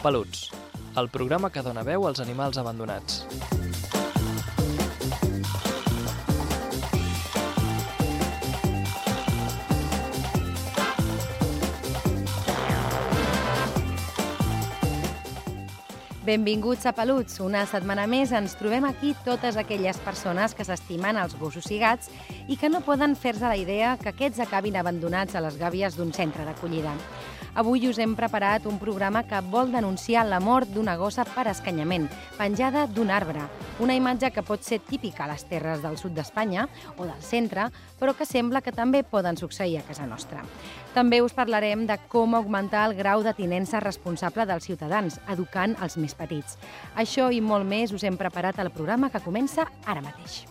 Peluts, el programa que dona veu als animals abandonats. Benvinguts a Peluts. Una setmana més ens trobem aquí totes aquelles persones que s'estimen els gossos i gats i que no poden fer-se la idea que aquests acabin abandonats a les gàbies d'un centre d'acollida. Avui us hem preparat un programa que vol denunciar la mort d'una gossa per escanyament, penjada d'un arbre. Una imatge que pot ser típica a les terres del sud d'Espanya o del centre, però que sembla que també poden succeir a casa nostra. També us parlarem de com augmentar el grau de tinença responsable dels ciutadans, educant els més petits. Això i molt més us hem preparat al programa que comença ara mateix.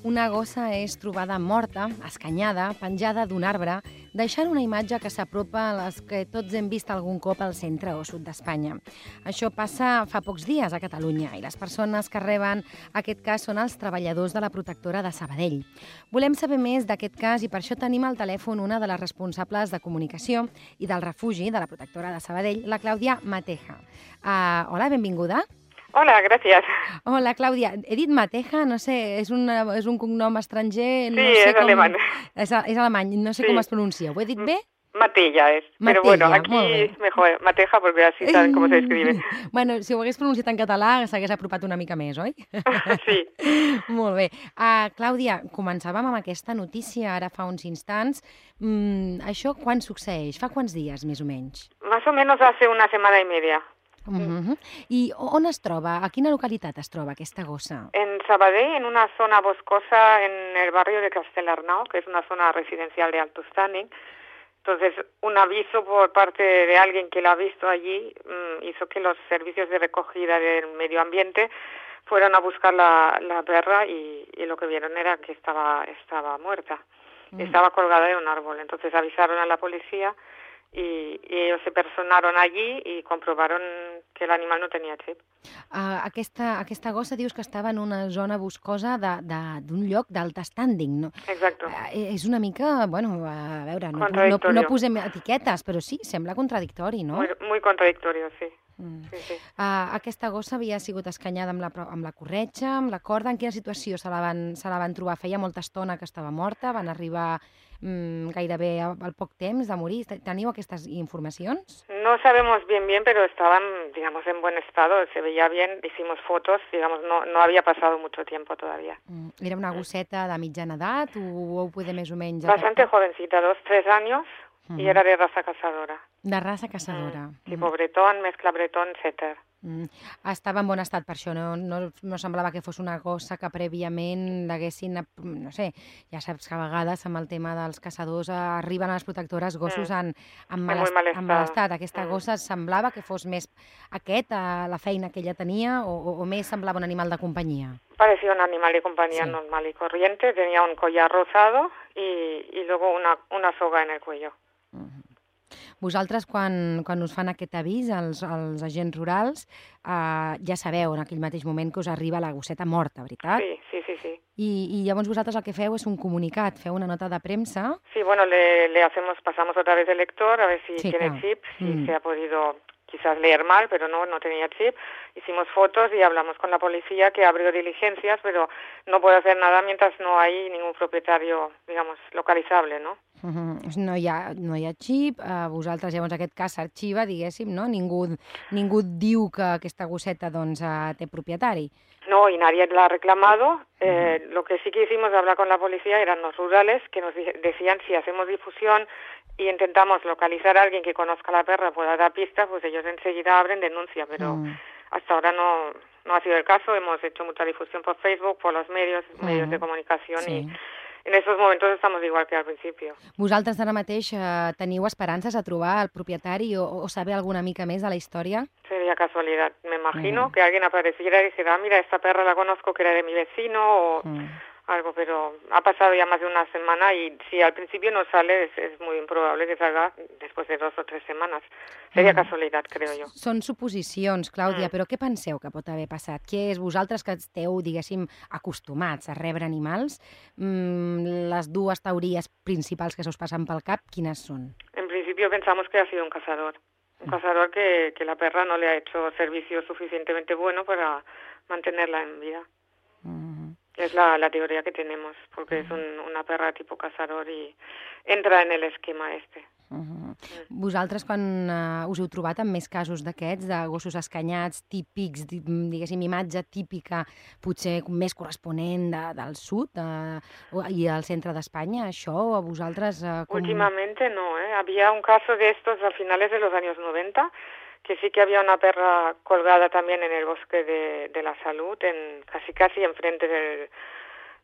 Una gossa és trobada morta, escanyada, penjada d'un arbre, deixant una imatge que s'apropa a les que tots hem vist algun cop al centre o sud d'Espanya. Això passa fa pocs dies a Catalunya i les persones que reben aquest cas són els treballadors de la protectora de Sabadell. Volem saber més d'aquest cas i per això tenim al telèfon una de les responsables de comunicació i del refugi de la protectora de Sabadell, la Clàudia Mateja. Hola, benvinguda. Hola, gràcies. Hola, Clàudia. He dit Mateja, no sé, és un cognom estranger... Sí, és alemany. És alemany, no sé com es pronuncia. ¿Ho he dit bé? Matella es. Pero bueno, aquí es mejor Mateja porque así saben cómo se escribe. Bueno, si ho hagués pronunciat en català s'hagués apropat una mica més, oi? Sí. Molt bé. Clàudia, començàvem amb aquesta notícia ara fa uns instants. Això quan succeeix? Fa quants dies, més o menys? Más o menos hace una semana y media. I on es troba? A quina localitat es troba aquesta gossa? En Sabadell, en una zona boscosa en el barrio de Castellarnau, que es una zona residencial de alto standing. Entonces, un aviso por parte de alguien que la ha visto allí hizo que los servicios de recogida del medio ambiente fueron a buscar la perra y lo que vieron era que estaba muerta. Estaba colgada de un árbol. Entonces avisaron a la policía y ellos se personaron allí y comprobaron que el animal no tenía chip. Aquesta gossa dius que estava en una zona boscosa d'un lloc d'alt standing, no? Exacto. És una mica, bueno, a veure, no posem etiquetes, però sí, sembla contradictori, no? Muy contradictorio, sí. Sí. Aquesta gossa havia sigut escanyada amb la corretja, amb la corda. En quina situació se la van trobar? Feia molta estona que estava morta, van arribar gairebé al poc temps de morir. ¿Teniu aquestes informacions? No sabemos bien, pero estaban, digamos, en buen estado, se veía bien, hicimos fotos, digamos, no había pasado mucho tiempo todavía. Era una gosseta de mitjana edat o ho poder més o menys... Bastante jovencita, 2-3 años, y era de raza cazadora. De raça caçadora. Tipo bretón, mezcla bretón, setter. Estava en bon estat per això, no semblava que fos una gossa que prèviament l'haguessin, no sé, ja saps que a vegades amb el tema dels caçadors arriben a les protectores gossos en mal estat. Aquesta gossa semblava que fos més la feina que ella tenia o més semblava un animal de companyia? Parecía un animal de compañía normal y corriente, tenía un collar rosado y luego una soga en el cuello. Vosaltres, quan us fan aquest avís, els agents rurals, ja sabeu en aquell mateix moment que us arriba la gosseta morta, veritat? Sí. I llavors vosaltres el que feu és un comunicat, feu una nota de premsa. Sí, bueno, pasamos otra vez el lector a ver si tiene chip, si se ha podido quizás leer mal, pero no tenía chip. Hicimos fotos y hablamos con la policía que abrió diligencias, pero no puede hacer nada mientras no hay ningún propietario, digamos, localizable, ¿no? No hi ha xip, vosaltres llavors aquest cas s'arxiva, diguéssim, no? Ningú diu que aquesta gosseta doncs té propietari. No, y nadie la ha reclamado. Lo que sí que hicimos de hablar con la policía eran los rurales que nos decían si hacemos difusión y intentamos localizar a alguien que conozca a la perra, pueda dar pistas, pues ellos enseguida abren denuncia, pero hasta ahora no ha sido el caso. Hemos hecho mucha difusión por Facebook, por los medios de comunicación y en estos momentos estamos igual que al principio. Vosaltres ara mateix teniu esperances a trobar el propietari o saber alguna mica més de la història? Sería casualidad. Me imagino que alguien apareciera y dijera, mira, esta perra la conozco que era de mi vecino algo, pero ha pasado ya más de una semana y si al principio no sale es muy improbable que salga después de 2 o 3 semanas. Seria casualitat, creo jo. Són suposicions, Clàudia, però què penseu que pot haver passat? Què és vosaltres que esteu, diguéssim, acostumats a rebre animals? Les dues teories principals que se us passen pel cap, quines són? En principio pensamos que ha sido un cazador. Un cazador que la perra no le ha hecho servicio suficientemente bueno para mantenerla en vida. Es la teoría que tenemos, porque es una perra tipo cazador y entra en el esquema este. Vosaltres, quan us heu trobat amb més casos d'aquests, de gossos escanyats, típics, diguéssim, imatge típica, potser més corresponent del sud i al centre d'Espanya, això a vosaltres... Últimamente no, ¿eh? Había un caso de estos a finales de los años 90, que sí que había una perra colgada también en el bosque de la Salud, casi enfrente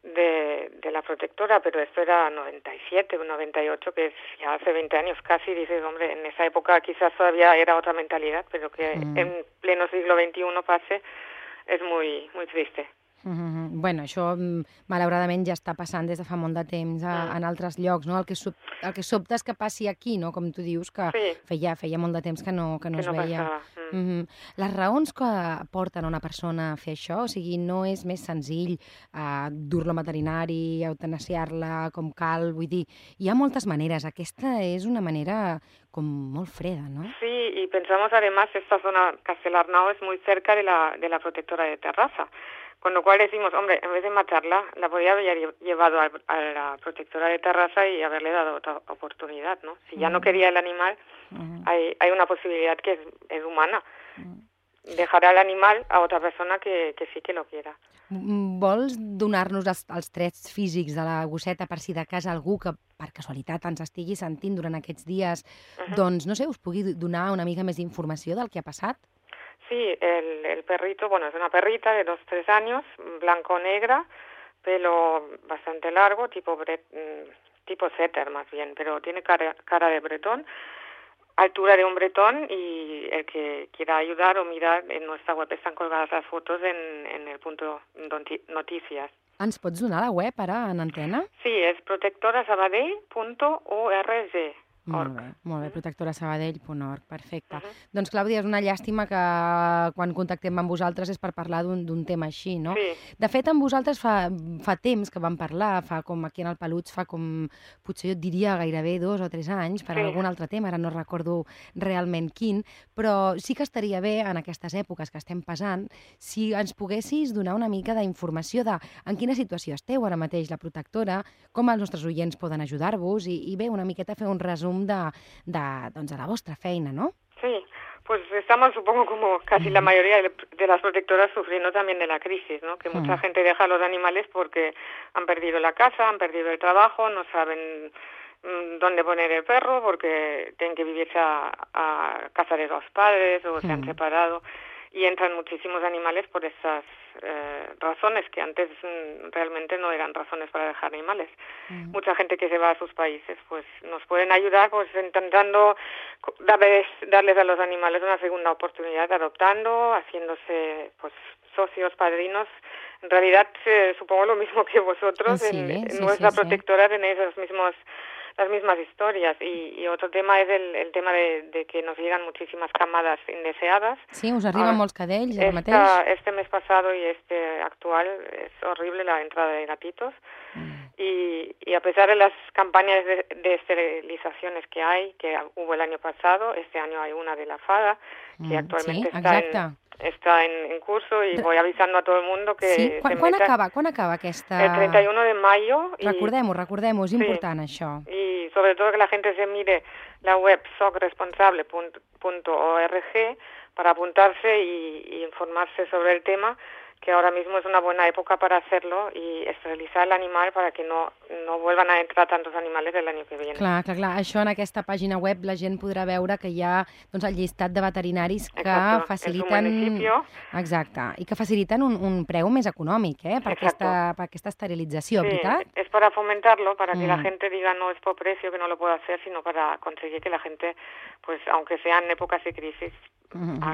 de la protectora, pero esto era 97 o 98, que es ya hace 20 años casi. Dices, hombre, en esa época quizás todavía era otra mentalidad, pero que en pleno siglo XXI pase es muy, muy triste. Bueno, això malauradament ja està passant des de fa molt de temps en altres llocs, no? El que sobta és que passi aquí, no? Com tu dius, que feia molt de temps que no es veia. Les raons que porten a una persona a fer això, o sigui, no és més senzill dur-la al veterinari, eutanasiar-la com cal, vull dir, hi ha moltes maneres. Aquesta és una manera com molt freda, ¿no? Sí, y pensamos además esta zona Castelarnau es muy cerca de la protectora de Terrassa. Con lo cual decimos, hombre, en vez de matarla, la podría haber llevado a la protectora de Terrassa y haberle dado otra oportunidad, ¿no? Si ya no quería el animal, hay una posibilidad que es humana. Dejar al animal a otra persona que sí que lo quiera. Vols donar-nos els trets físics de la gosseta per si de cas algú que per casualitat ens estigui sentint durant aquests dies, doncs, no sé, us pugui donar una mica més d'informació del que ha passat? Sí, el perrito, bueno, es una perrita de 2-3 años, blanco-negra, pelo bastante largo, tipo setter más bien, pero tiene cara de bretón, altura de un bretón, y el que quiera ayudar o mirar, en nuestra web están colgadas las fotos en el punto noticias. Ens pots donar la web ara en antena? Sí, és protectorasabadell.org. Molt bé, protectorasabadell.org, perfecte. Doncs, Clàudia, és una llàstima que quan contactem amb vosaltres és per parlar d'un tema així, no? Sí. De fet, amb vosaltres fa temps que vam parlar, fa com aquí en el Peluts, fa com, potser jo et diria gairebé 2 o 3 anys, per algun altre tema, ara no recordo realment quin, però sí que estaria bé, en aquestes èpoques que estem passant, si ens poguessis donar una mica d'informació de en quina situació esteu ara mateix la protectora, com els nostres oients poden ajudar-vos i bé, una miqueta fer un resum de la vostra feina, ¿no? Sí, pues estamos, supongo, como casi la mayoría de las protectoras sufriendo también de la crisis, ¿no? Que mucha gente deja a los animales porque han perdido la casa, han perdido el trabajo, no saben dónde poner el perro porque tienen que vivirse a casa de los padres o se han separado. Y entran muchísimos animales por esas razones que antes realmente no eran razones para dejar animales. Mucha gente que se va a sus países, pues nos pueden ayudar pues intentando darles a los animales una segunda oportunidad, adoptando, haciéndose pues socios, padrinos. En realidad supongo lo mismo que vosotros. En nuestra protectora tenéis las mismas historias. Y otro tema es el tema de que nos llegan muchísimas camadas indeseadas. Sí, us arriben molts cadells ara mateix? Este mes pasado y este actual es horrible la entrada de gatitos. Y a pesar de las campañas de esterilizaciones que hay, que hubo el año pasado, este año hay una de la FADA, que actualmente está en curso, y voy avisando a todo el mundo que... Sí? Quan acaba aquesta... El 31 de mayo. Recordem-ho, és important això. Y sobre todo que la gente se mire la web socresponsable.org para apuntarse y informarse sobre el tema, que ahora mismo es una buena época para hacerlo y esterilizar el animal para que no vuelvan a entrar tantos animales el año que viene. Clar. Això en aquesta pàgina web la gent podrà veure que hi ha doncs, el llistat de veterinaris que faciliten... Exacte, i que faciliten un preu més econòmic per aquesta esterilització, ¿verdad? Es para fomentarlo, para que la gente diga no es por precio que no lo puedo hacer, sino para conseguir que la gente, pues aunque sean épocas de crisis,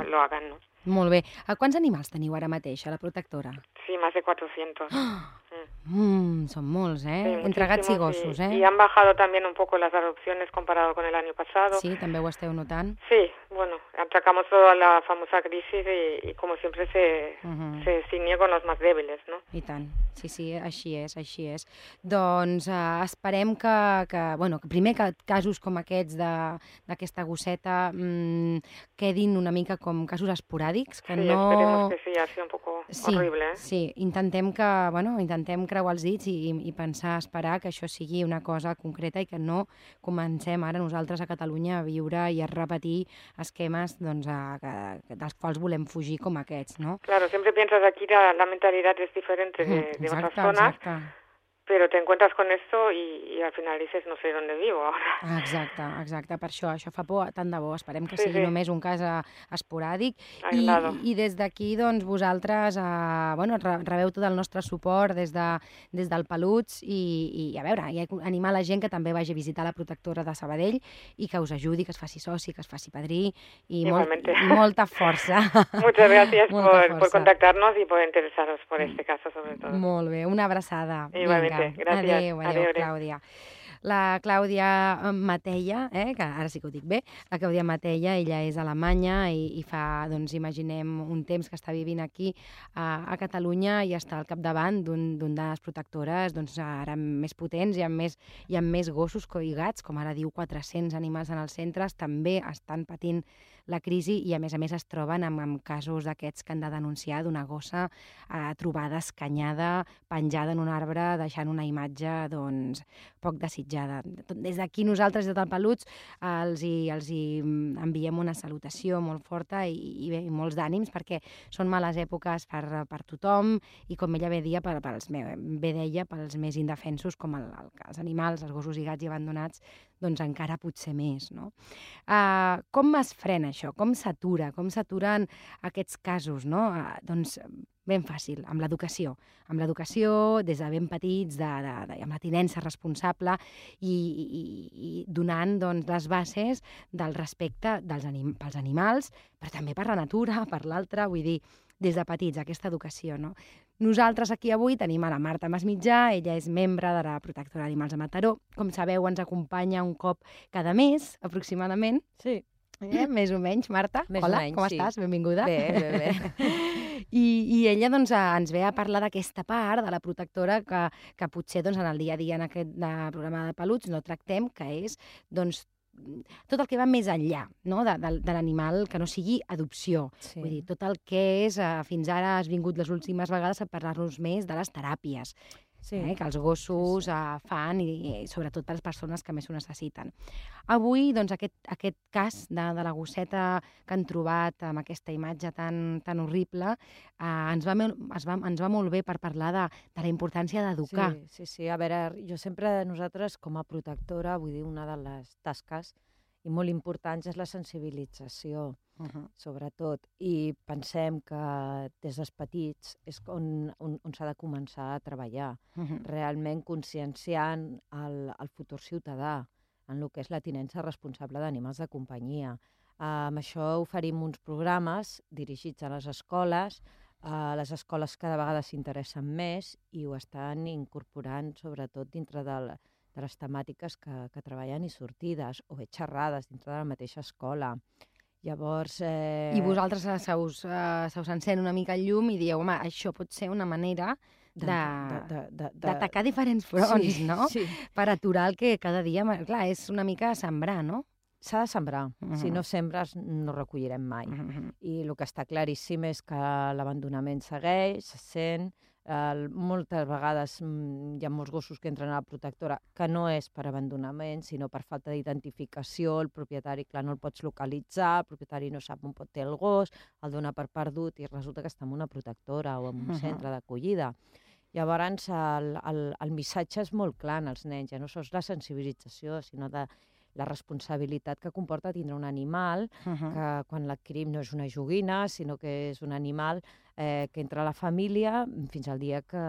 lo hagan, ¿no? Molt bé. Quants animals teniu ara mateix a la protectora? Sí, más de 400. Son molts, Sí, Entre gats i muchísimos, gossos, y han bajado también un poco las adopciones comparado con el año pasado. Sí, també ho esteu notant? Sí, bueno, atacamos toda la famosa crisis y como siempre se ciñe con los más débiles, ¿no? I tant. Sí, així és. Doncs esperem que primer que casos com aquests d'aquesta gosseta quedin una mica com casos esporàdics, que Sí, no... esperemos que sí, ha sido un poco horrible, Sí, intentem creuar els dits i pensar, esperar que això sigui una cosa concreta i que no comencem ara nosaltres a Catalunya a viure i a repetir esquemes doncs, dels quals volem fugir com aquests, no? Claro, siempre piensas aquí la mentalidad es diferente de otras zonas, pero te encuentras con esto y al final dices, no sé dónde vivo ahora. Exacte, per això fa por, tant de bo, esperem que sigui només un cas esporàdic i des d'aquí, doncs, vosaltres rebeu tot el nostre suport des del Peluts i a veure, i animar la gent que també vagi a visitar la protectora de Sabadell i que us ajudi, que es faci soci, que es faci padrí i molta força. Muchas gracias por contactarnos y por interesaros por este caso, sobre todo. Molt bé, una abraçada. Igualmente. Gràcies. Adéu, Clàudia. La Clàudia Matella, que ara sí que ho dic bé, la Clàudia Matella, ella és alemanya i fa, doncs, imaginem, un temps que està vivint aquí a Catalunya i està al capdavant d'un de les protectores, doncs, ara més potents i amb més gossos i gats, com ara diu, 400 animals en els centres, també estan patint la crisi i, a més es troben amb casos d'aquests que han de denunciar d'una gossa trobada escanyada, penjada en un arbre, deixant una imatge, doncs, poc desitjada. Des d'aquí nosaltres, des del Peluts, els hi enviem una salutació molt forta i molts d'ànims, perquè són males èpoques per tothom i, com ella bé deia, pels més indefensos, com els animals, els gossos i gats i abandonats, doncs encara potser més, no? Com es frena això? Com s'atura? Com s'aturen aquests casos, no? Doncs ben fàcil, amb l'educació. Amb l'educació, des de ben petits, amb la tinença responsable i donant, doncs, les bases del respecte pels animals, però també per la natura, per l'altre, vull dir, des de petits, aquesta educació, no? Nosaltres aquí avui tenim a la Marta Masmitjà, ella és membre de la Protectora d'Animals de Mataró. Com sabeu, ens acompanya un cop cada mes, aproximadament. Sí. Més o menys, Marta. Hola, com estàs? Benvinguda. Bé. I ella doncs, ens ve a parlar d'aquesta part de la protectora que potser doncs, en el dia a dia en aquest programa de Peluts no tractem, que és doncs, tot el que va més enllà, no? de l'animal, que no sigui adopció. Sí. Vull dir, tot el que és, fins ara has vingut les últimes vegades a parlar-nos més de les teràpies, que els gossos fan i sobretot per les persones que més ho necessiten. Avui, doncs, aquest cas de la gosseta que han trobat amb aquesta imatge tan horrible ens va molt bé per parlar de la importància d'educar. Sí. A veure, jo sempre, nosaltres, com a protectora, vull dir, una de les tasques i molt importants és la sensibilització, sobretot. I pensem que des dels petits és on s'ha de començar a treballar, realment conscienciant el futur ciutadà en el que és la tinença responsable d'animals de companyia. Amb això oferim uns programes dirigits a les escoles cada vegada s'interessen més i ho estan incorporant sobretot dintre de les temàtiques que treballen i sortides, o bé xerrades dintre de la mateixa escola. Llavors... I vosaltres se us encén una mica el llum i dieu, home, això pot ser una manera d'atacar diferents fronts, no? Sí. Per aturar el que cada dia... Clar, és una mica sembrar, no? S'ha de sembrar. Si no sembres, no recollirem mai. I el que està claríssim és que l'abandonament segueix, se sent. Moltes vegades hi ha molts gossos que entren a la protectora que no és per abandonament, sinó per falta d'identificació. El propietari, clar, no el pots localitzar, el propietari no sap on pot ter el gos, el dona per perdut i resulta que està en una protectora o en un centre d'acollida. Llavors, el missatge és molt clar als nens, ja no sols la sensibilització, sinó de la responsabilitat que comporta tindre un animal, que quan l'adquirim no és una joguina, sinó que és un animal que entra a la família fins al dia que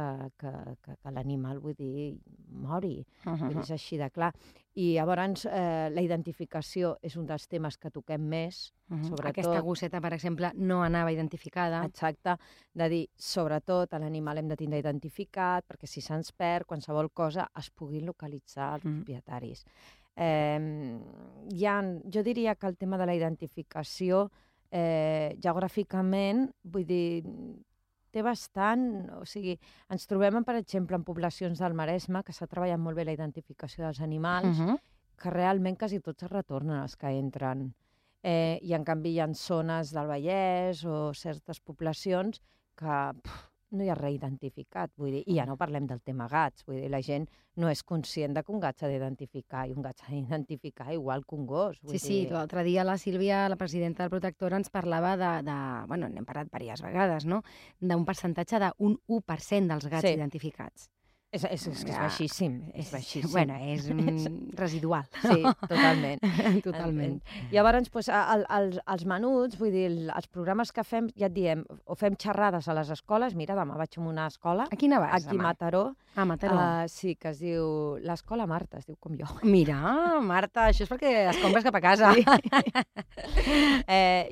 l'animal, vull dir, mori. Vull dir, és així de clar. I llavors la identificació és un dels temes que toquem més, sobretot... Aquesta gosseta, per exemple, no anava identificada. Exacte, de dir, sobretot, l'animal hem de tindre identificat, perquè si se'ns perd, qualsevol cosa es puguin localitzar els propietaris. Jo diria que el tema de la identificació, geogràficament, vull dir, té bastant... O sigui, ens trobem, per exemple, en poblacions del Maresme, que s'ha treballat molt bé la identificació dels animals, que realment quasi tots es retornen els que entren. I, en canvi, hi ha zones del Vallès o certes poblacions que no hi ha res identificat. Vull dir, i ja no parlem del tema gats. Vull dir, la gent no és conscient de que un gat s'ha d'identificar i un gat s'ha d'identificar igual que un gos. Sí, l'altre dia la Sílvia, la presidenta del Protectora, ens parlava bueno, n'hem parlat diverses vegades, no?, d'un percentatge d'un 1% dels gats identificats. És baixíssim, és baixíssim. Bueno, és residual. Sí, totalment. Totalment. Llavors, els menuts, vull dir, els programes que fem, ja et diem, o fem xerrades a les escoles. Mira, demà vaig a una escola. A quina vas, aquí a Mataró. A Mataró. Sí, que es diu l'Escola Marta, es diu com jo. Mira, Marta, això és perquè es compres cap a casa.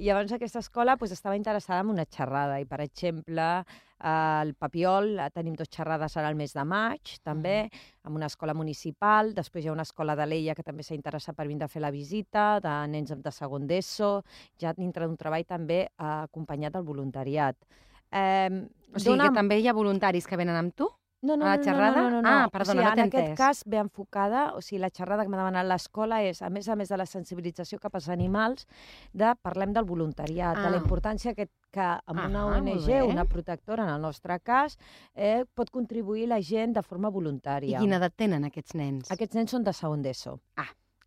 Llavors, aquesta escola estava interessada en una xerrada i, per exemple, al Papiol tenim 2 xerrades ara al mes de maig, també, en una escola municipal. Després hi ha una escola de l'Ella que també s'ha interessat per vindre a fer la visita, de nens de segon d'ESO, ja dintre d'un treball també acompanyat del voluntariat. O sigui que també hi ha voluntaris que venen amb tu? No. A la xerrada? Ah, perdona, no t'he entès. En aquest cas ve enfocada, o sigui, la xerrada que m'ha demanat l'escola és, a més de la sensibilització cap als animals, parlem del voluntariat, de la importància que amb una ONG, una protectora, en el nostre cas, pot contribuir la gent de forma voluntària. I quina edat tenen aquests nens? Aquests nens són de segon d'ESO.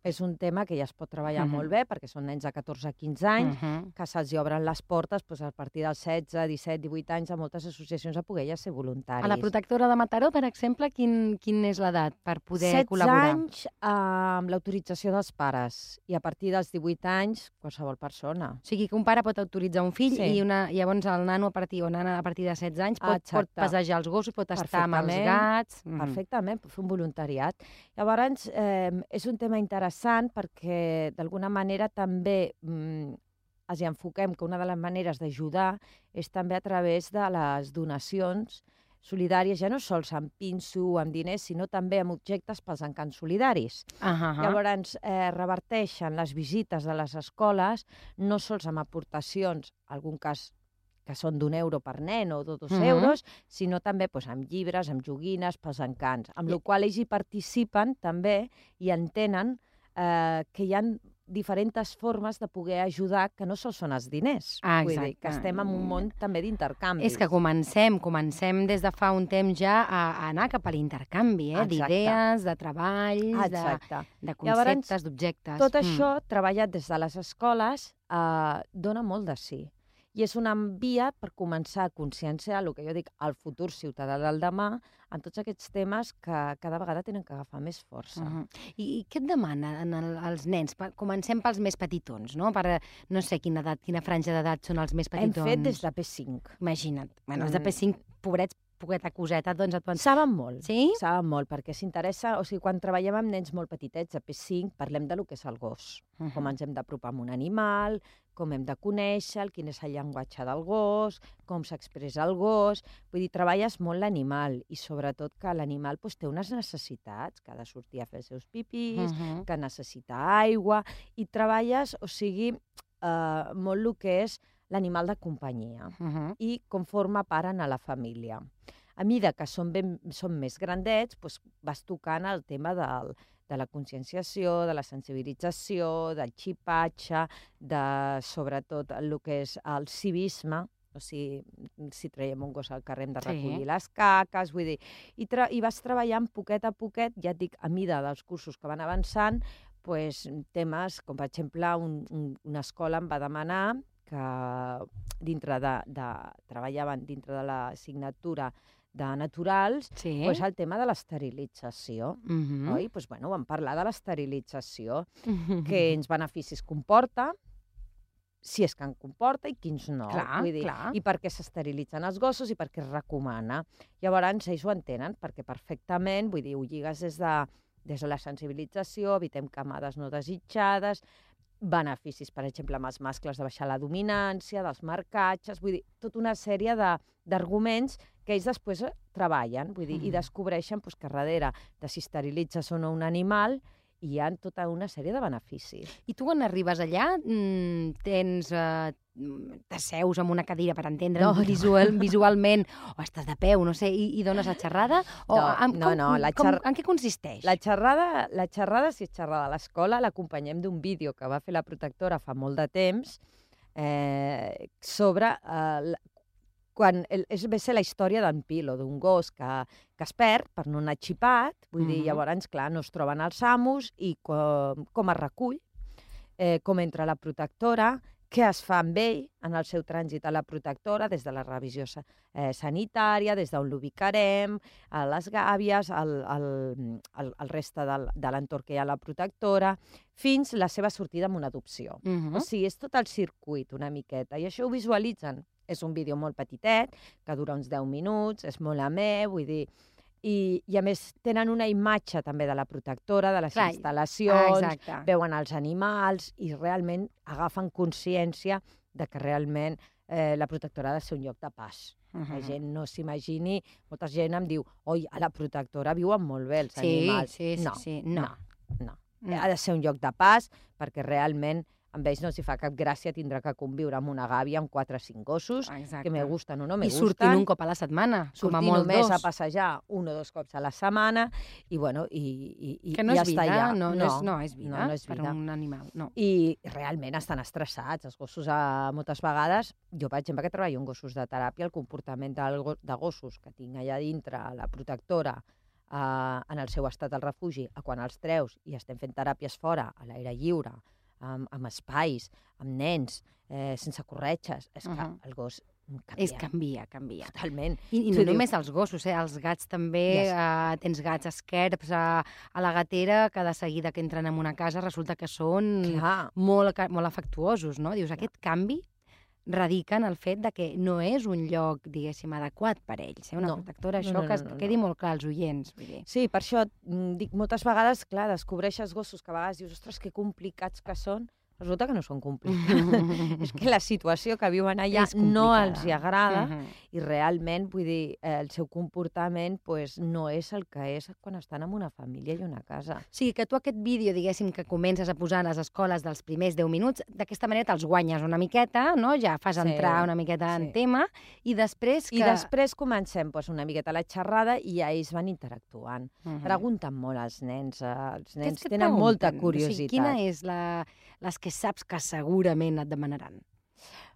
És un tema que ja es pot treballar molt bé, perquè són nens de 14 a 15 anys, que se'ls obren les portes a partir dels 16, 17, 18 anys a moltes associacions a poder ja ser voluntaris. A la Protectora de Mataró, per exemple, quin és l'edat per poder col·laborar? 16 anys amb l'autorització dels pares i a partir dels 18 anys qualsevol persona. O sigui que un pare pot autoritzar un fill i llavors el nano a partir de 16 anys pot passejar els gossos, pot estar amb els gats... Perfectament, pot fer un voluntariat. Llavors, és un tema interessant perquè, d'alguna manera, també els enfoquem que una de les maneres d'ajudar és també a través de les donacions solidàries, ja no sols amb pinso o amb diners, sinó també amb objectes pels encants solidaris. Llavors, reverteixen les visites de les escoles no sols amb aportacions, en algun cas que són d'€1 per nen o de 2 euros, sinó també amb llibres, amb joguines, pels encants, amb la qual cosa ells hi participen també i entenen que hi ha diferents formes de poder ajudar que no sols són els diners. Vull dir, que estem en un món també d'intercanvis. És que comencem des de fa un temps ja a anar cap a l'intercanvi, d'idees, de treballs, de conceptes, d'objectes. Tot això, treballat des de les escoles, dona molt de sí. I és una via per començar a conscienciar el que jo dic, el futur ciutadà del demà, en tots aquests temes que cada vegada tenen que agafar més força. I què et demanen els nens? Comencem pels més petitons, no? Per no sé quina franja d'edat són els més petitons. Hem fet des de P5. Imagina't. Bueno, els de P5, pobrets, poqueta coseta, doncs et poden... Saben molt. Sí? Saben molt, perquè s'interessa... O sigui, quan treballem amb nens molt petitets, a P5, parlem de lo que és el gos. Com ens hem d'apropar a un animal, com hem de conèixer, quin és el llenguatge del gos, com s'expressa el gos... Vull dir, treballes molt l'animal i sobretot que l'animal té unes necessitats, que ha de sortir a fer els seus pipis, que necessita aigua, i treballes, o sigui, molt el que és l'animal de companyia i com forma part a la família. A mida que són més grandets, vas tocant el tema de la conscienciació, de la sensibilització, del xipatge, sobretot el que és el civisme, o sigui, si traiem un gos al carrer hem de recollir les caques, vull dir, i vas treballant poquet a poquet, ja et dic, a mida dels cursos que van avançant, temes com, per exemple, una escola em va demanar que treballaven dintre de l'assignatura naturals, Sí. doncs el tema de l'esterilització. Mhm. Oi? Doncs, bueno, vam parlar de l'esterilització, quins beneficis comporta, si és que en comporta i quins no. Clar, Vull dir, clar. I per què s'esterilitzen els gossos i per què es recomana. Llavors, ells ho entenen, perquè perfectament, vull dir, ho lligues des de la sensibilització, evitem camades no desitjades, beneficis, per exemple, amb els mascles de baixar la dominància, dels marcatges, vull dir, tota una sèrie d'arguments que ells després treballen, vull dir, i descobreixen doncs, que darrere de si esterilitzes o no un animal hi ha tota una sèrie de beneficis. I tu quan arribes allà t'asseus amb una cadira per entendre visualment, o estàs de peu, no sé, i dones la xerrada? En què consisteix? La xerrada, si és xerrada a l'escola, l'acompanyem d'un vídeo que va fer la protectora fa molt de temps sobre quan ve ser la història d'en Pilo, d'un gos que es perd per no anar xipat, vull dir, llavors, clar, no es troben els amos i com es recull, com entra la protectora, què es fa amb ell en el seu trànsit a la protectora, des de la revisió sanitària, des d'on l'ubicarem, a les gàbies, el reste de l'entorn que hi ha a la protectora, fins la seva sortida amb una adopció. O sigui, és tot el circuit una miqueta, i això ho visualitzen. És un vídeo molt petitet, que dura uns 10 minuts, és molt amè, vull dir... I a més tenen una imatge també de la protectora, de les instal·lacions, veuen els animals i realment agafen consciència de que realment la protectora ha de ser un lloc de pas. La gent no s'imagini, molta gent em diu, oi, a la protectora viuen molt bé els animals. No. Ha de ser un lloc de pas perquè realment amb ells no els fa cap gràcia tindre que conviure amb una gàbia amb 4 o 5 gossos, que me gusten o no me gusten. I sortint un cop a la setmana, com a molt només a passejar 1 o 2 cops a la setmana, i bueno, que no és vida, no és vida per un animal. I realment estan estressats. Els gossos, moltes vegades, jo, per exemple, que treballo en gossos de teràpia, el comportament de gossos que tinc allà dintre, la protectora, en el seu estat al refugi, a quan els treus i estem fent teràpies fora, a l'aire lliure, amb espais, amb nens, sense corretges. És que el gos canvia. Canvia. Totalment. I no només els gossos, els gats també. Tens gats esquerps a la gatera que de seguida que entren en una casa resulta que són molt afectuosos, no? Dius, aquest canvi radica en el fet de que no és un lloc, diguéssim, adequat per ells. Una protectora, això que quedi molt clar als oients. Sí, per això dic moltes vegades, clar, descobreixes gossos que a vegades dius, ostres, que complicats que són. Resulta que no són complicats. És que la situació que viuen allà no els agrada i realment, vull dir, el seu comportament no és el que és quan estan en una família i una casa. O sigui, que tu aquest vídeo, diguéssim, que comences a posar a les escoles dels primers 10 minuts, d'aquesta manera te'ls guanyes una miqueta, no? Ja fas entrar una miqueta en tema, i després I després comencem una miqueta la xerrada i ja ells van interactuant. Pregunten molt als nens. Els nens tenen molta curiositat. Quina és les que saps que segurament et demanaran?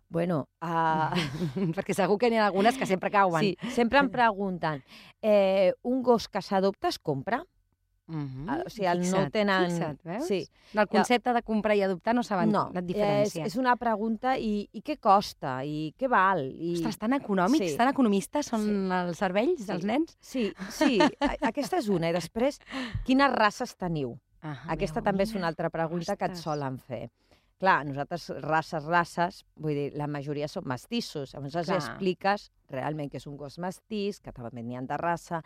Bueno, perquè segur que n'hi ha algunes que sempre cauen. Sí, sempre em pregunten, un gos que s'adopta es compra? O sigui, no tenen... Fixa't, veus? El concepte de comprar i adoptar no saben la diferència. És una pregunta, i què costa? I què val? Ostres, tan econòmics, tan economistes són els cervells dels nens? Sí, aquesta és una. I després, quines races teniu? Aquesta també és una altra pregunta que et solen fer. Clar, nosaltres, races, vull dir, la majoria són mestissos. Llavors els expliques realment que és un gos mestís, que també n'hi ha de raça,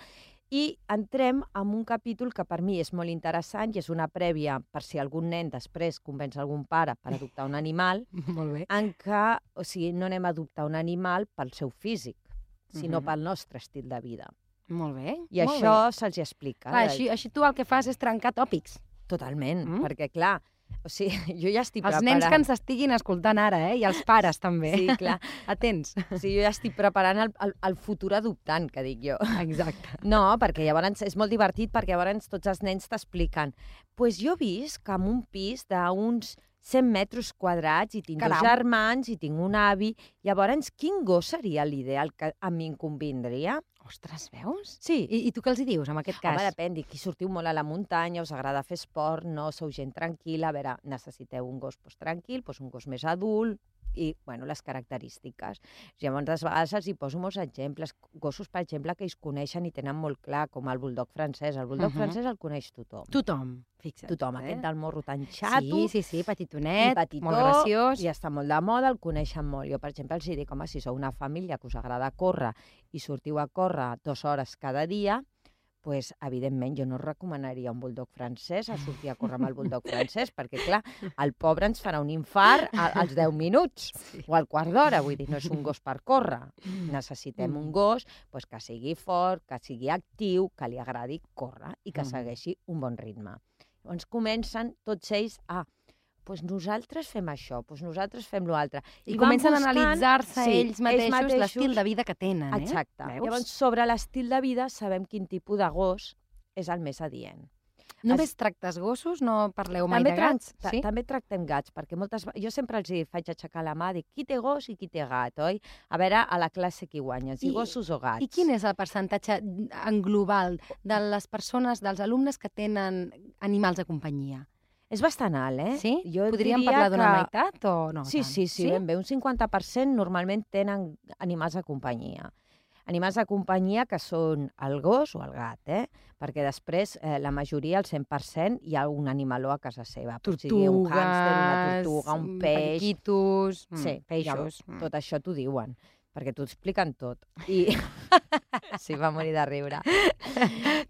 i entrem en un capítol que per mi és molt interessant i és una prèvia per si algun nen després convenç algun pare per adoptar un animal, en què, o sigui, no anem a adoptar un animal pel seu físic, sinó pel nostre estil de vida. Molt bé. I això se'ls explica. Així tu el que fas és trencar tòpics. Totalment, perquè clar, o sigui, jo ja estic preparant... Els nens que ens estiguin escoltant ara, i els pares també. Sí, clar. Atents. O sigui, jo ja estic preparant el futur adoptant, que dic jo. Exacte. No, perquè llavors és molt divertit, perquè llavors tots els nens t'expliquen. Doncs jo visc en un pis d'uns 100 metres quadrats i tinc 2 germans i tinc un avi. Llavors, quin gos seria l'ideal que a mi em convindria? Ostres, veus? Sí. I tu què els hi dius, en aquest cas? Home, depèn, qui sortiu molt a la muntanya, us agrada fer esport, no sou gent tranquil·la, a veure, necessiteu un gos tranquil, un gos més adult, i, bueno, les característiques. Llavors, a vegades els hi poso molts exemples. Gossos, per exemple, que ells coneixen i tenen molt clar, com el buldog francès. El buldog francès el coneix tothom. Tothom, fixa't. Tothom, aquest del morro tan xato. Sí, petitonet, petitó, molt graciós. I està molt de moda, el coneixen molt. Jo, per exemple, els dic, home, si sou una família que us agrada córrer i sortiu a córrer 2 hores cada dia, pues, evidentment, jo no recomanaria un buldog francès a sortir a córrer amb el buldog francès, perquè, clar, el pobre ens farà un infart als 10 minuts o al quart d'hora. Vull dir, no és un gos per córrer. Necessitem un gos pues, que sigui fort, que sigui actiu, que li agradi córrer i que segueixi un bon ritme. Llavors comencen tots ells a pues nosaltres fem això, pues nosaltres fem l'altre. I comencen a analitzar-se ells mateixos l'estil de vida que tenen. Exacte. Llavors, sobre l'estil de vida sabem quin tipus de gos és el més adient. Només tractes gossos? No parleu mai de gats? També tractem gats, perquè jo sempre els faig aixecar la mà, dic, qui té gos i qui té gat, oi? A veure, a la classe qui guanya, si gossos o gats. I quin és el percentatge en global de les persones, dels alumnes que tenen animals de companyia? És bastant alt, eh? Sí? Podríem parlar d'una meitat o no? Sí, ben bé. Un 50% normalment tenen animals de companyia. Animals de companyia que són el gos o el gat, perquè després la majoria, el 100%, hi ha un animaló a casa seva. Tortugues, un hàmster, una tortuga, un peix... Periquitos, peixos. Tot això t'ho diuen, perquè t'ho expliquen tot. I... Sí, va morir de riure.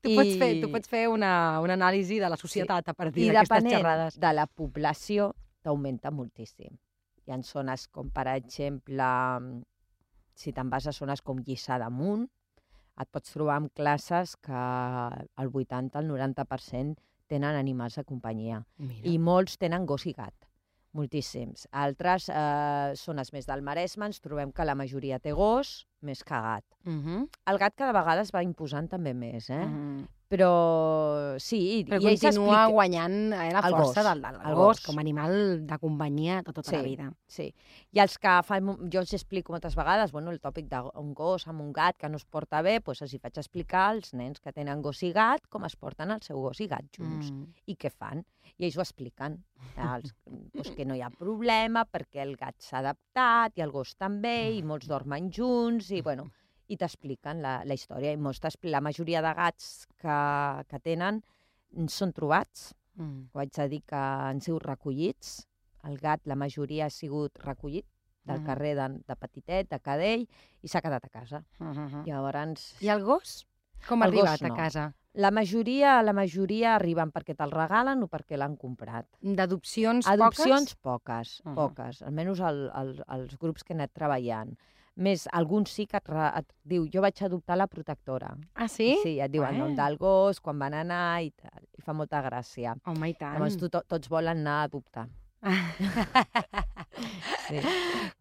Tu pots fer una anàlisi de la societat a partir d'aquestes xerrades. I depenent de la població, t'augmenta moltíssim. Hi ha zones com, per exemple, si te'n vas a zones com Lliçà d'Amunt, et pots trobar amb classes que el 80, el 90% tenen animals de companyia. I molts tenen gos i gat. Moltíssims. Altres zones més del Maresme ens trobem que la majoria té gos més que gat. El gat cada vegada es va imposant també més, però sí... Però continua guanyant la força del gos com a animal de companyia tota la vida. Sí, i els que jo els explico moltes vegades, el tòpic d'un gos amb un gat que no es porta bé, doncs els faig explicar als nens que tenen gos i gat com es porten el seu gos i gat junts i què fan. I ells ho expliquen, que no hi ha problema perquè el gat s'ha adaptat i el gos també, i molts dormen junts, i t'expliquen la història. I la majoria de gats que tenen són trobats. Ho haig de dir que han sigut recollits. El gat, la majoria ha sigut recollit del carrer de Petitet, de Cadell, i s'ha quedat a casa. Llavors... I el gos? Com ha arribat a casa? La majoria arriben perquè te'l regalen o perquè l'han comprat. D'adopcions poques? Adopcions poques. Almenys els grups que he anat treballant. Més, alguns sí que et diu, jo vaig adoptar la protectora. Ah, sí? Sí, et diu el nom del gos, quan van anar i tal. I fa molta gràcia. Home, i tant. Llavors tots volen anar a adoptar.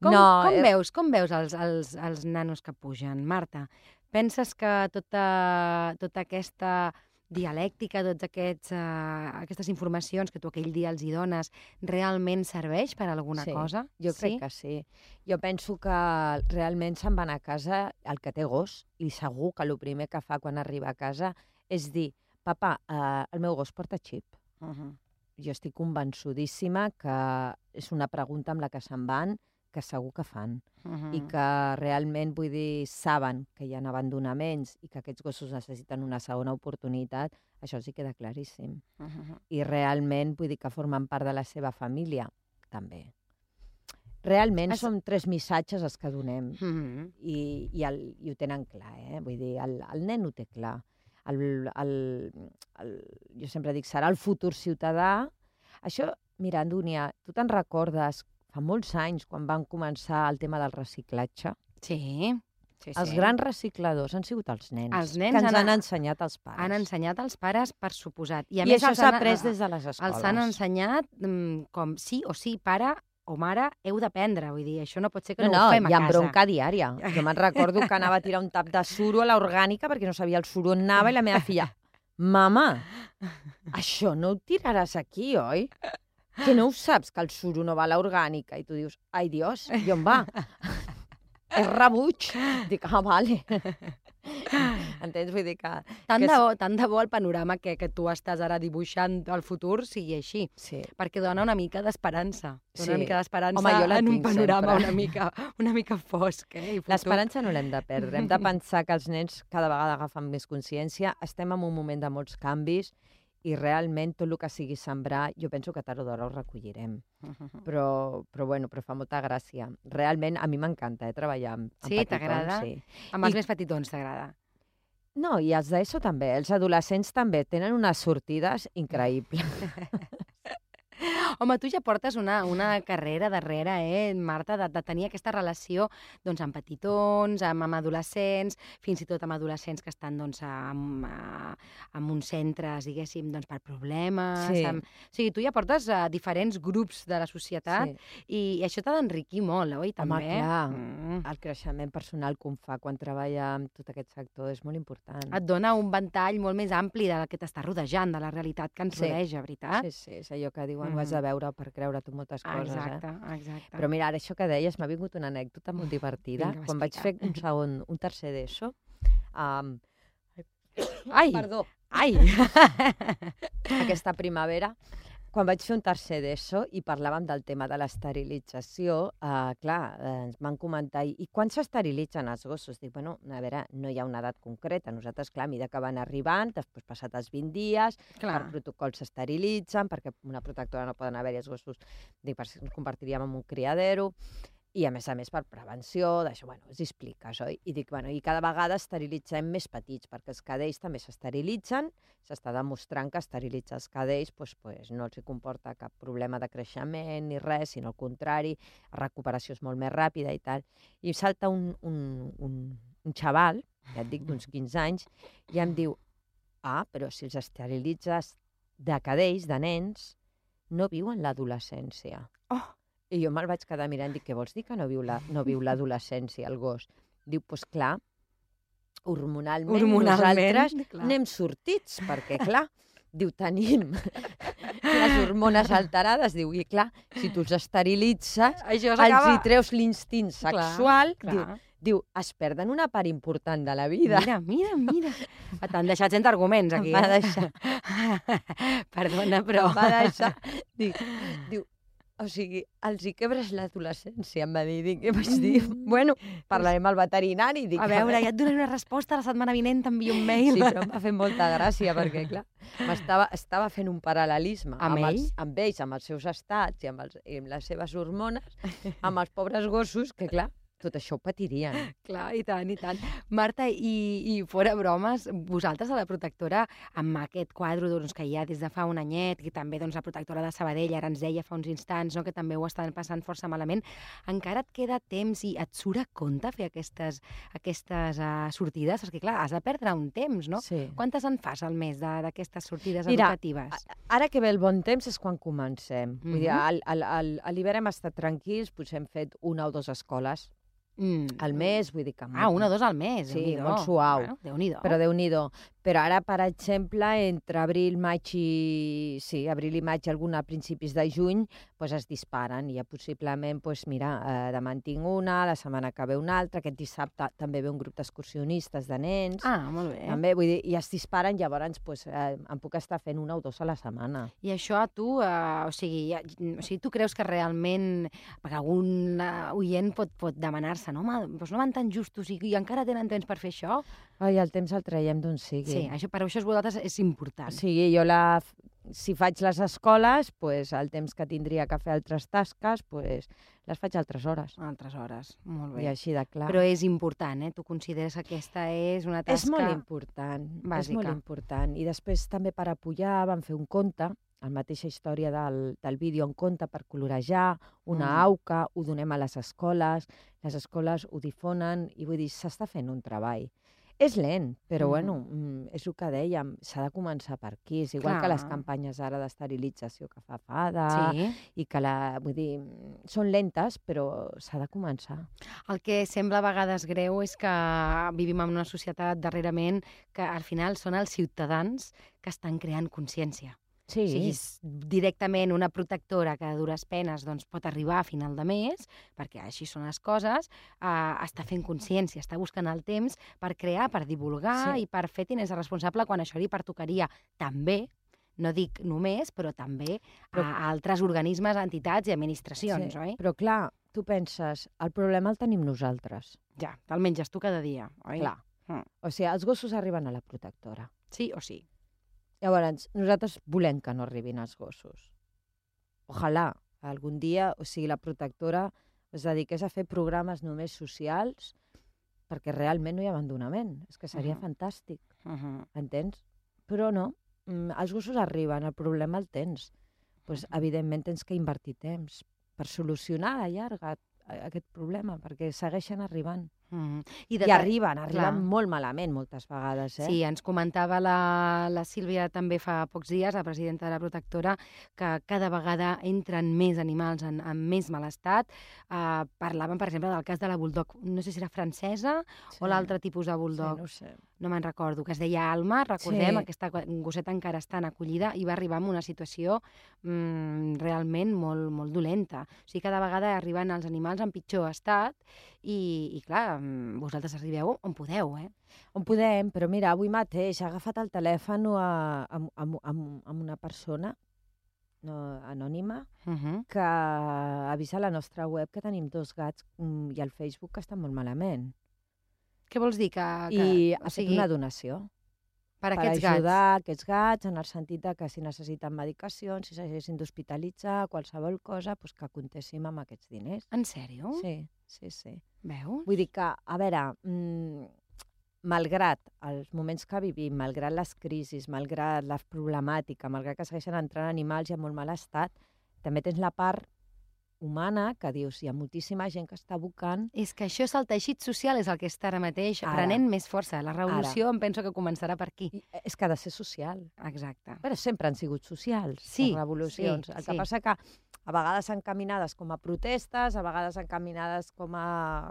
Com veus els nanos que pugen, Marta? Penses que tota aquesta dialèctica, totes aquestes informacions que tu aquell dia els hi dones, realment serveix per a alguna cosa? Jo crec que sí. Jo penso que realment se'n van a casa el que té gos i segur que el primer que fa quan arriba a casa és dir, papa, el meu gos porta xip. Jo estic convençudíssima que és una pregunta amb la que se'n van, que segur que fan, i que realment, vull dir, saben que hi ha abandonaments i que aquests gossos necessiten una segona oportunitat, això sí queda claríssim. I realment, vull dir, que formen part de la seva família, també. Realment són 3 missatges els que donem, i ho tenen clar, vull dir, el nen ho té clar. Jo sempre dic, serà el futur ciutadà. Això, mira, Dúnia, tu te'n recordes fa molts anys, quan van començar el tema del reciclatge? Sí. Els grans recicladors han sigut els nens. Que ens han ensenyat els pares. Han ensenyat els pares, per suposat. I això s'ha après des de les escoles. Els han ensenyat com sí o sí, pare o mare, heu d'aprendre. Vull dir, això no pot ser que no ho fem a casa. Hi ha bronca diària. Jo me'n recordo que anava a tirar un tap de suro a l'orgànica perquè no sabia el suro on anava i la meva filla, mama, això no ho tiraràs aquí, oi? Que no ho saps, que el suro no va a l'orgànica? I tu dius, ai, Dios, i on va? És rebuig. Dic, vale. Entens? Vull dir que... Tant de bo el panorama que tu estàs ara dibuixant al futur sigui així. Sí. Perquè dona una mica d'esperança. Dona una mica d'esperança. Home, jo la en un tinc panorama sempre. una mica fosc. I futur. L'esperança no l'hem de perdre. Hem de pensar que els nens cada vegada agafen més consciència. Estem en un moment de molts canvis i realment tot el que sigui sembrar, jo penso que tard o d'hora ho recollirem. Però fa molta gràcia. Realment, a mi m'encanta treballar amb petitons. Sí, t'agrada? Sí. Amb els més petitons t'agrada? No, i els d'ESO també. Els adolescents també tenen unes sortides increïbles. Home, tu ja portes una carrera darrere, Marta, de tenir aquesta relació doncs, amb petitons, amb adolescents, fins i tot amb adolescents que estan doncs, en uns centres, diguéssim, doncs, per problemes. Sí. O sigui, tu ja portes diferents grups de la societat i això t'ha d'enriquir molt, oi? També? Home, clar, el creixement personal que un fa quan treballa amb tot aquest sector és molt important. Et dona un ventall molt més ampli del que t'està rodejant, de la realitat que ens rodeja, veritat? Sí, és allò que diuen, ho has de veure per creure tu moltes coses. Exacte. Però mira, ara això que deies, m'ha vingut una anècdota molt divertida. Vinga, quan vaig fer un tercer d'ESO... Ai! Perdó. Ai! Aquesta primavera, quan vaig fer un tercer d'ESO i parlàvem del tema de l'esterilització, ens van comentar, i quan s'esterilitzen els gossos? Dic, bueno, a veure, no hi ha una edat concreta. Nosaltres, clar, a mesura que van arribant, després passat els 20 dies, per protocol s'esterilitzen, perquè una protectora no poden haver-hi els gossos, dic, perquè ens convertiríem en un criadero, i a més per prevenció, d'això, bueno, els expliques, oi? I dic, bueno, i cada vegada esterilitzem més petits, perquè els cadells també s'esterilitzen, s'està demostrant que esterilitzar els cadells no els comporta cap problema de creixement ni res, sinó al contrari, la recuperació és molt més ràpida i tal. I salta un xaval, ja et dic, d'uns 15 anys, i em diu, però si els esterilitzes de cadells, de nens, no viuen l'adolescència. I jo me'l vaig quedar mirant i dic, què vols dir que no viu l'adolescència, el gos? Diu, doncs clar, hormonalment nosaltres n'hem sortits, perquè clar, diu, tenim les hormones alterades, diu, i clar, si tu els esterilitzes, els hi treus l'instint sexual, diu, es perden una part important de la vida. Mira. T'han deixat sense arguments, aquí. Em va deixar. Perdona, però... Em va deixar. Diu, o sigui, els hi quebres l'adolescència, em va dir. I vaig dir, bueno, parlarem al veterinari. A veure, ja et donaré una resposta, la setmana vinent t'envio un mail. Sí, però em va fer molta gràcia, perquè, clar, estava fent un paral·lelisme amb ells, amb els seus estats i amb les seves hormones, amb els pobres gossos, que, clar, tot això ho patirien. Clar, i tant. Marta, i fora bromes, vosaltres a la protectora, amb aquest quadre doncs, que hi ha des de fa un anyet, i també doncs, la protectora de Sabadell ara ens deia fa uns instants que també ho estan passant força malament, encara et queda temps i et surt a compte fer aquestes sortides? Perquè, clar, has de perdre un temps, no? Sí. Quantes en fas al mes d'aquestes sortides educatives? Ara que ve el bon temps és quan comencem. Vull dir, a l'hivern hem estat tranquils, potser hem fet una o dues escoles al mes, vull dir que... una o dos al mes, sí, molt suau. Bueno, Déu-n'hi-do. Però Déu-n'hi-do. Però ara, per exemple, entre abril i maig, a principis de juny, doncs es disparen. I ja possiblement, mira, demà en tinc una, la setmana que ve una altra, aquest dissabte també ve un grup d'excursionistes de nens. Molt bé. També, vull dir, i es disparen, llavors em puc estar fent una o dos a la setmana. I això a tu, o sigui, tu creus que realment, perquè algun oient pot demanar-se, no, home, doncs no van tan justos i encara tenen temps per fer això? Ai, el temps el traiem d'on sigui. Sí, per això vosaltres és important. Sí, jo si faig les escoles, el temps que tindria que fer altres tasques, les faig altres hores. Altres hores, molt bé. I així de clar. Però és important, Tu consideres que aquesta és una tasca... És molt important, bàsica. És molt important. I després també per apoyar vam fer un conte, la mateixa història del vídeo, un conte per colorejar, una auca, ho donem a les escoles ho difonen, i vull dir, s'està fent un treball. És lent, però és el que dèiem, s'ha de començar per aquí. És igual que les campanyes ara d'esterilització que fa FADA, i que vull dir, són lentes, però s'ha de començar. El que sembla a vegades greu és que vivim en una societat darrerament que al final són els ciutadans que estan creant consciència. O sigui, directament una protectora que a dures penes doncs, pot arribar a final de mes, perquè així són les coses, està fent consciència, està buscant el temps per crear, per divulgar i per fer tinença responsable quan això li pertocaria també, no dic només, però també a altres organismes, entitats i administracions, oi? Però clar, tu penses, el problema el tenim nosaltres. Ja, te'l menges tu cada dia, oi? Clar. O sigui, els gossos arriben a la protectora. Sí o sí. Llavors, nosaltres volem que no arribin els gossos. Ojalà algun dia, o sigui, la protectora es dediqués a fer programes només socials perquè realment no hi ha abandonament. És que seria fantàstic, entens? Però no, els gossos arriben, el problema el tens. Pues, evidentment tens que invertir temps per solucionar a la llarga aquest problema, perquè segueixen arribant. I arriben molt malament moltes vegades. Sí, ens comentava la Sílvia també fa pocs dies, la presidenta de la protectora, que cada vegada entren més animals en més mal estat. Parlaven, per exemple, del cas de la bulldog, no sé si era francesa o l'altre tipus de bulldog. Sí, no ho sé. No me'n recordo, que es deia Alma, recordem, aquesta gosseta encara està en acollida i va arribar en una situació realment molt, molt dolenta. O sigui, cada vegada arriben els animals en pitjor estat i clar, vosaltres arribeu on podeu, On podem, però mira, avui mateix he agafat el telèfon amb una persona anònima que avisa a la nostra web que tenim 2 gats i al Facebook que estan molt malament. Què vols dir? I ha fet una donació. Per aquests gats? Per ajudar aquests gats, en el sentit que si necessiten medicacions, si s'haguessin d'hospitalitzar, qualsevol cosa, doncs que comptéssim amb aquests diners. En sèrio? Sí. Veus? Vull dir que, a veure, malgrat els moments que vivim, malgrat les crisis, malgrat la problemàtica, malgrat que segueixen entrant animals i en molt mal estat, també tens la part humana, que dius, hi ha moltíssima gent que està abocant... És que això és el teixit social, és el que està ara mateix prenent més força. La revolució em penso que començarà per aquí. És que ha de ser social. Exacte. Però sempre han sigut socials, les revolucions. El que passa que a vegades encaminades com a protestes, a vegades encaminades com a...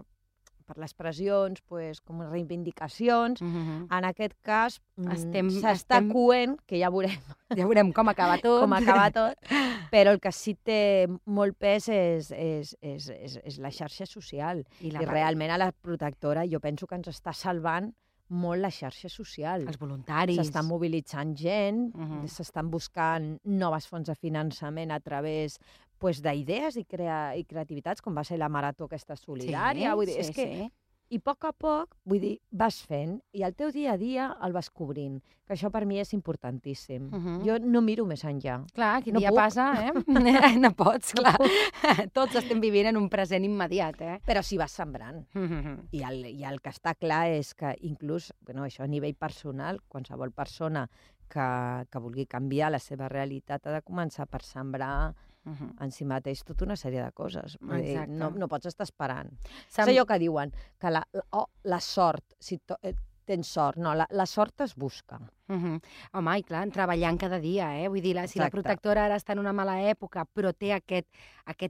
per les pressions, com a reivindicacions. En aquest cas, s'està coent, que ja veurem. Ja veurem com acaba tot. Però el que sí té molt pes és la xarxa social. I realment a la protectora jo penso que ens està salvant molt la xarxa social. Els voluntaris. S'estan mobilitzant gent, s'estan buscant noves fonts de finançament a través d'idees i creativitats, com va ser la marató aquesta solidària. I a poc a poc, vull dir, vas fent, i el teu dia a dia el vas cobrint, que això per mi és importantíssim. Jo no miro més enllà. Clar, quin dia passa, No pots, clar. Tots estem vivint en un present immediat, Però si vas sembrant. I el que està clar és que inclús, això a nivell personal, qualsevol persona que vulgui canviar la seva realitat ha de començar per sembrar en si mateix tota una sèrie de coses. No pots estar esperant. És allò que diuen, que la sort, si tens sort, no, la sort es busca. Home, i clar, treballant cada dia, Vull dir, si la protectora ara està en una mala època, però té aquest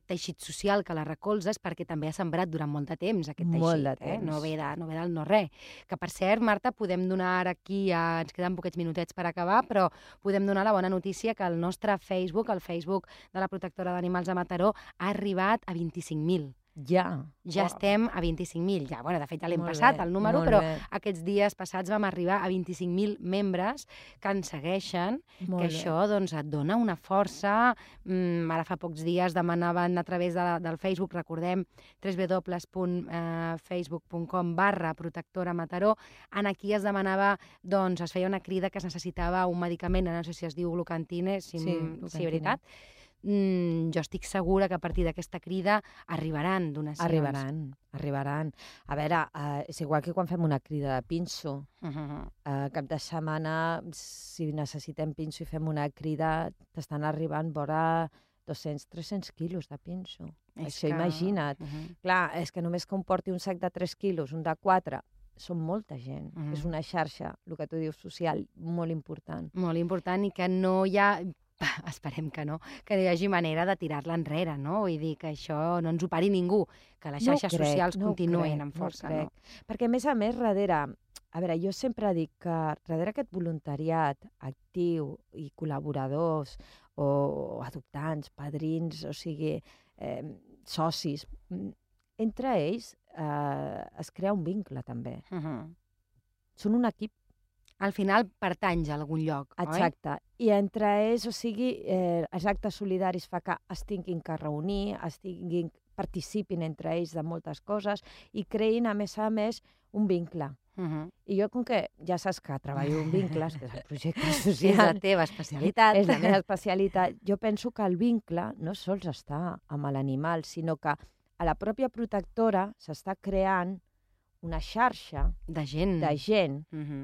teixit social que la recolza, és perquè també ha sembrat durant molt de temps aquest teixit. Molt de temps. No ve del no-res. Que, per cert, Marta, podem donar ara aquí, ens queden poquets minutets per acabar, però podem donar la bona notícia que el nostre Facebook, el Facebook de la protectora d'animals de Mataró, ha arribat a 25.000. Ja estem a 25.000. De fet, ja l'hem passat, el número, però aquests dies passats vam arribar a 25.000 membres que ens segueixen, que això et dona una força. Ara fa pocs dies demanaven a través del Facebook, recordem, www.facebook.com/protectora Mataró. Aquí es demanava, es feia una crida que es necessitava un medicament, no sé si es diu Glucantine, si és veritat. Jo estic segura que a partir d'aquesta crida arribaran donacions. Arribaran. A veure, és igual que quan fem una crida de pinso. Cap de setmana, si necessitem pinso i fem una crida, t'estan arribant vora 200-300 quilos de pinso. Això imagina't. Clar, és que només que un porti un sac de 3 quilos, un de 4... Són molta gent. És una xarxa, el que tu dius, social, molt important. Molt important i que no hi ha... Esperem que no, que hi hagi manera de tirar-la enrere, no? Vull dir que això no ens ho pari ningú, que les xarxes socials continuïn amb força. No crec. Perquè, a més, darrere, A veure, jo sempre dic que darrere aquest voluntariat actiu i col·laboradors o adoptants, padrins, o sigui, socis, entre ells es crea un vincle també. Són un equip. Al final pertanys a algun lloc, oi? Exacte. I entre ells, o sigui, els actes solidaris fa que es tinguin que reunir, participin entre ells de moltes coses i creïn, a més, un vincle. I jo, com que ja saps que treballo en vincles, que és el projecte social... És la teva especialitat. És la meva especialitat. Jo penso que el vincle no sols està amb l'animal, sinó que a la pròpia protectora s'està creant una xarxa de gent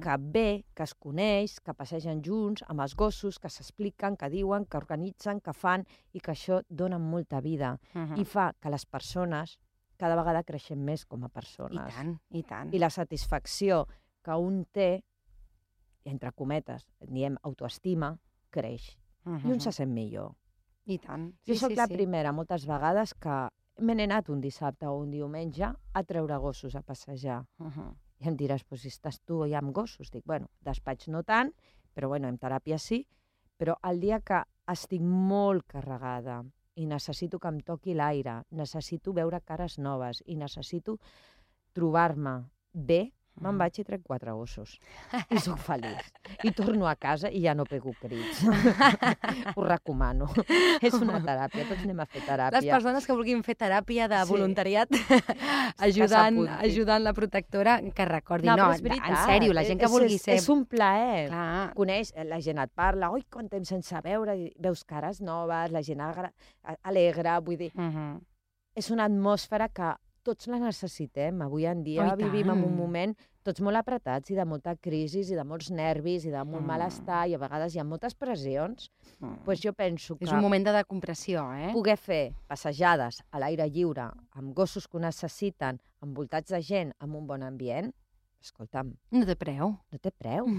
que ve, que es coneix, que passegen junts amb els gossos, que s'expliquen, que diuen, que organitzen, que fan, i que això dona molta vida. I fa que les persones cada vegada creixem més com a persones. I tant, i tant. I la satisfacció que un té, entre cometes, diem autoestima, creix. I un se sent millor. I tant. Jo soc la primera, moltes vegades, que me n'he anat un dissabte o un diumenge a treure gossos a passejar. I em diràs, si estàs tu ja amb gossos. Dic, bueno, despatx no tant, però bueno, en teràpia sí. Però el dia que estic molt carregada i necessito que em toqui l'aire, necessito veure cares noves i necessito trobar-me bé, me'n vaig i trec 4 gossos. I sóc feliç. I torno a casa i ja no pego crits. Ho recomano. És una teràpia, tots anem a fer teràpia. Les persones que vulguin fer teràpia de voluntariat ajudant la protectora, que recordi, no, en sèrio, la gent que vulgui ser... És un plaer. Clar. Coneix, la gent et parla, oi, quant temps sense veure, veus cares noves, la gent alegre, vull dir... És una atmosfera que tots la necessitem. Avui en dia vivim en un moment tots molt apretats i de molta crisi i de molts nervis i de molt malestar i a vegades hi ha moltes pressions. Doncs jo penso que... És un moment de decompressió, Poder fer passejades a l'aire lliure amb gossos que ho necessiten, envoltats de gent, amb un bon ambient, escolta'm... No té preu. No té preu.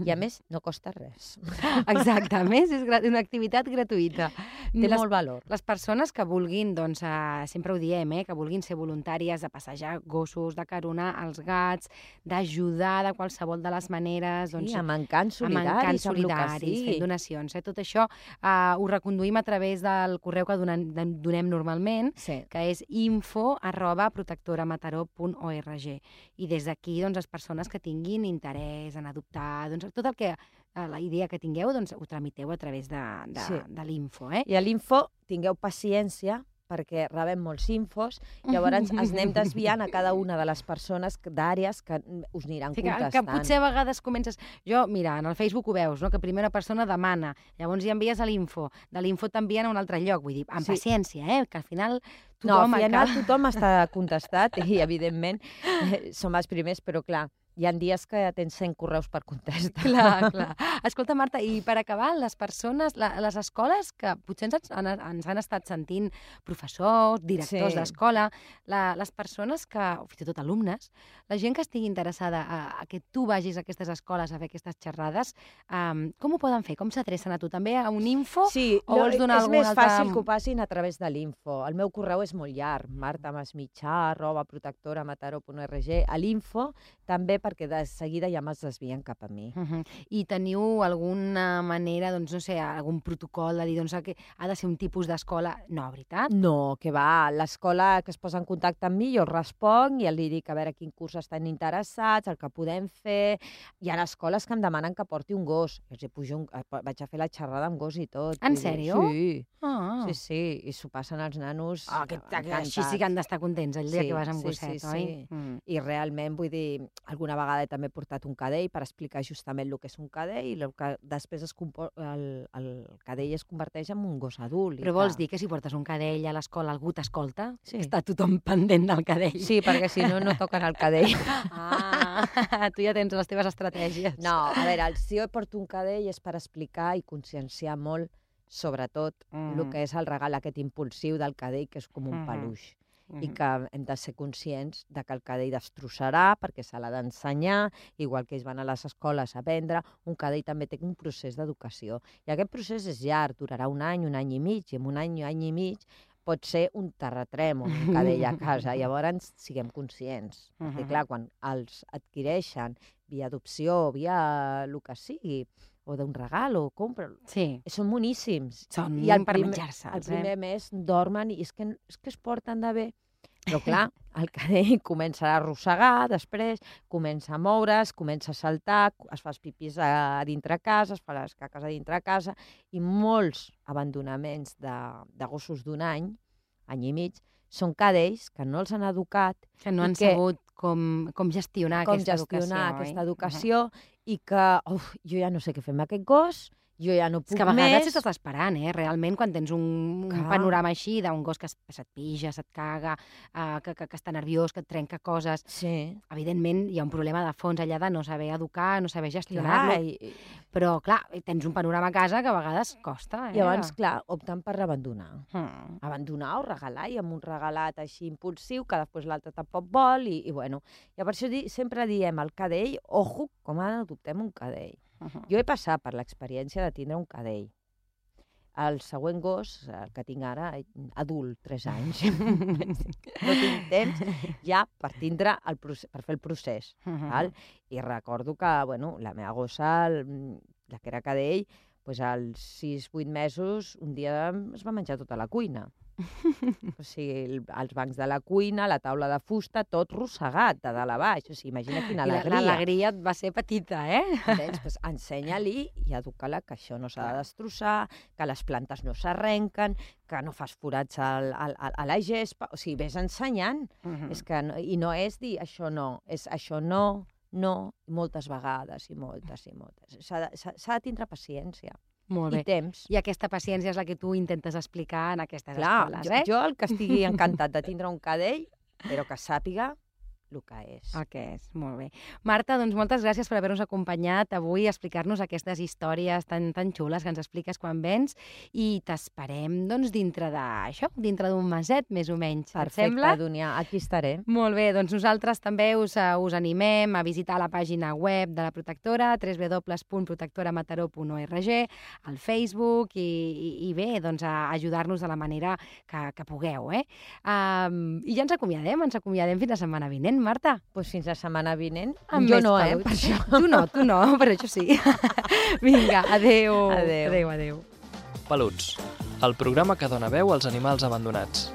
I a més, no costa res. Exacte. A més, és una activitat gratuïta. Té molt valor. Les persones que vulguin, doncs, sempre ho diem, que vulguin ser voluntàries de passejar gossos, de caronar els gats, d'ajudar de qualsevol de les maneres... Sí, amb encants solidaris, amb el que sigui. Fent donacions. Tot això ho reconduïm a través del correu que donem normalment, que és info@protectoramataró.org. I des d'aquí, doncs, les persones que tinguin interès en adoptar, doncs tot el que, la idea que tingueu, doncs ho tramiteu a través de l'info. I a l'info tingueu paciència perquè rebem molts infos, llavors ens anem desviant a cada una de les persones d'àrees que us aniran contestant. Que potser a vegades comences... Jo, mira, en el Facebook ho veus, no? Que primer una persona demana, llavors hi envies a l'info, de l'info t'envien a un altre lloc, vull dir, amb paciència, que al final tothom... No, al final tothom està contestat i, evidentment, som els primers, però clar, hi ha dies que tens 100 correus per contestar. Clar. Escolta, Marta, i per acabar, les persones, les escoles que potser ens han estat sentint professors, directors d'escola, les persones que, o fins i tot alumnes, la gent que estigui interessada a que tu vagis a aquestes escoles a fer aquestes xerrades, com ho poden fer? Com s'adrecen a tu? També a un info? Sí, o vols donar és més fàcil que ho passin a través de l'info. El meu correu és molt llarg, martamasmitjà@protectoramataró.org. A l'info també perquè de seguida ja me'ls desvien cap a mi. I teniu alguna manera, doncs, no sé, algun protocol de dir que ha de ser un tipus d'escola? No, veritat? No, que va. L'escola que es posa en contacte amb mi, jo responc i li dic a veure quin curs estan interessats, el que podem fer. Hi ha escoles que em demanen que porti un gos. Jo els pujo vaig a fer la xerrada amb gos i tot. En sèrio? Sí. Sí. I s'ho passen els nanos Així sí que han d'estar contents el dia que vas amb gosset, oi? I realment, vull dir, alguna vegada també he portat un cadell per explicar justament el que és un cadell i el que després el cadell es converteix en un gos adult. Però vols dir que si portes un cadell a l'escola algú t'escolta? Sí. Està tothom pendent del cadell. Sí, perquè si no, no toquen el cadell. Tu ja tens les teves estratègies. No, a veure, si jo porto un cadell és per explicar i conscienciar molt, sobretot, el que és el regal aquest impulsiu del cadell, que és com un peluix. I que hem de ser conscients de que el cadell destrossarà perquè se l'ha d'ensenyar, igual que ells van a les escoles a aprendre, un cadell també té un procés d'educació. I aquest procés és llarg, durarà un any i mig, i en un any i mig pot ser un terratrèmol, un cadell a casa. Llavors, siguem conscients. Perquè, clar, quan els adquireixen via adopció, via el que sigui, o d'un regal, o compra, són boníssims. Són per menjar-se'ls. El primer mes dormen i és que es porten de bé. Però, clar, el cadell comença a arrossegar, després comença a moure's, comença a saltar, es fa els pipis a dintre casa, es fa les caques a dintre casa, i molts abandonaments de gossos d'un any i mig, són cadells que no els han educat. Que no han sabut com gestionar aquesta educació i que jo ja no sé què fer amb aquest gos, jo ja no puc més. És que a vegades estàs esperant, realment, quan tens un panorama així d'un gos que se't pija, se't caga, que està nerviós, que et trenca coses. Sí. Evidentment, hi ha un problema de fons allà de no saber educar, no saber gestionar-lo. Però, clar, tens un panorama a casa que a vegades costa. Llavors, clar, opten per abandonar. Abandonar o regalar, i amb un regalat així impulsiu, que després l'altre tampoc vol, i bueno. I per això sempre diem al cadell, ojo, com adoptem un cadell. Jo he passat per l'experiència de tindre un cadell. El següent gos, el que tinc ara, adult, 3 anys, no tinc temps ja per fer el procés. I recordo que la meva gossa, la que era cadell, als 6-8 mesos, un dia es va menjar tota la cuina. O sigui, els bancs de la cuina, la taula de fusta, tot rossegat de dalt a baix. O sigui, imagina quina alegria. I l'alegria va ser petita, Entens? Doncs ensenya-li i educa-la que això no s'ha de destrossar, que les plantes no s'arrenquen, que no fas forats a la gespa. O sigui, ves ensenyant. I no és dir això no, és això no, moltes vegades i moltes. S'ha de tindre paciència. Molt bé. I temps. I aquesta paciència és la que tu intentes explicar en aquestes escoles, Jo el que estigui encantat de tindre un cadell, però que sàpiga el que és. El que és, molt bé. Marta, doncs moltes gràcies per haver-nos acompanyat avui a explicar-nos aquestes històries tan xules que ens expliques quan vens, i t'esperem, doncs, dintre d'un meset, més o menys. Perfecte, Dúnia, aquí estaré. Molt bé, doncs nosaltres també us animem a visitar la pàgina web de la Protectora, www.protectoramataró.org, al Facebook, i bé, doncs a ajudar-nos de la manera que pugueu, I ja ens acomiadem fins la setmana vinent. Marta? Doncs fins la setmana vinent. Jo no, per això. Tu no, però això sí. Vinga, adéu. Peluts, el programa que dona veu als animals abandonats.